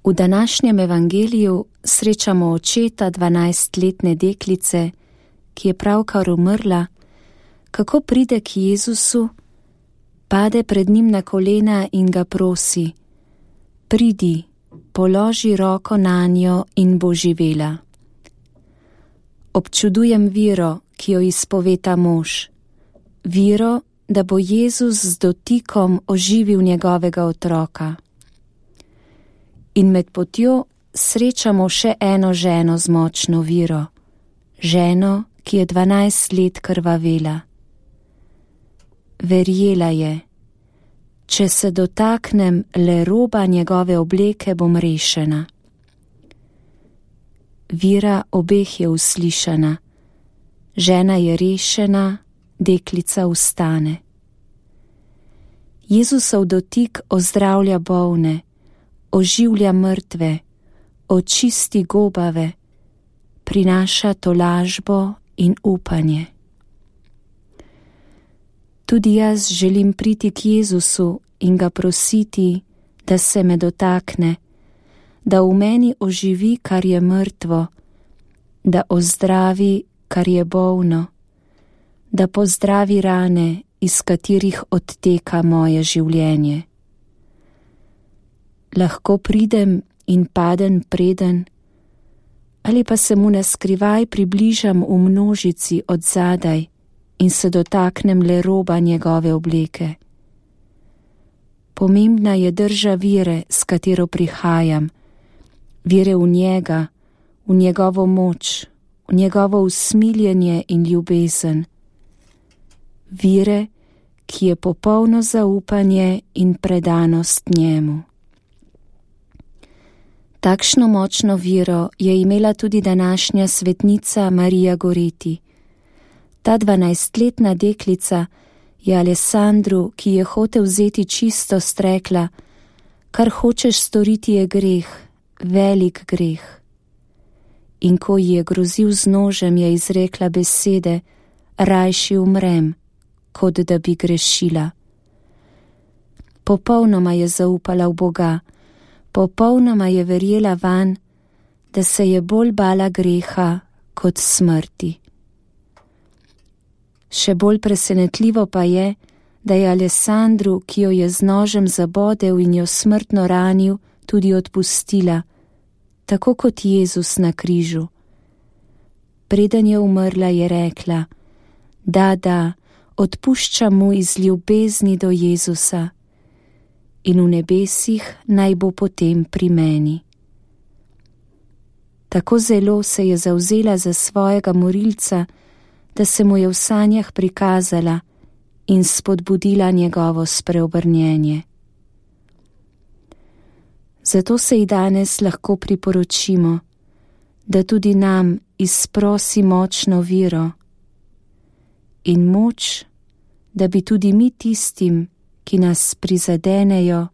V današnjem evangeliju srečamo očeta 12-letne deklice, ki je pravkar umrla, kako pride k Jezusu, pade pred njim na kolena in ga prosi: pridi, položi roko nanjo in bo živela. Občudujem vero, ki jo izpove ta mož, vero, da bo Jezus z dotikom oživil njegovega otroka. In med potjo srečamo še eno ženo z močno vero, ženo, ki je 12 let krvavela. Verjela je: če se dotaknem le roba njegove obleke, bom rešena. Vera obeh je uslišana, žena je rešena, deklica vstane. Jezusov dotik ozdravlja bolne, oživlja mrtve, očisti gobave, prinaša tolažbo in upanje. Tudi jaz želim priti k Jezusu in ga prositi, da se me dotakne, da v meni oživi, kar je mrtvo, da ozdravi, kar je bolno, da pozdravi rane, iz katerih odteka moje življenje. Lahko pridem in padem preden, ali pa se mu naskrivaj približam v množici od zadaj in se dotaknem le roba njegove obleke. Pomembna je drža vere, s katero prihajam, vere v njega, v njegovo moč, v njegovo usmiljenje in ljubezen. Vere, ki je popolno zaupanje in predanost njemu. Takšno močno vero je imela tudi današnja svetnica Marija Goreti. Ta 12-letna deklica je Alessandru, ki je hotel vzeti čistost, rekla: kar hočeš storiti je greh, velik greh. In ko ji je grozil z nožem, je izrekla besede: rajši umrem, kot da bi grešila. Popolnoma je zaupala v Boga, popolnoma je verjela vanj, da se je bolj bala greha kot smrti. Še bolj presenetljivo pa je, da je Alessandru, ki jo je z nožem zabodel in jo smrtno ranil, tudi odpustila, tako kot Jezus na križu. Preden je umrla, je rekla: da, odpuščam mu iz ljubezni do Jezusa in v nebesih naj bo potem pri meni. Tako zelo se je zavzela za svojega morilca, da se mu je v sanjah prikazala in spodbudila njegovo spreobrnjenje. Zato se ji danes lahko priporočimo, da tudi nam izprosi močno vero in moč, da bi tudi mi tistim, ki nas prizadenejo,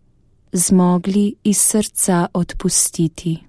zmogli iz srca odpustiti.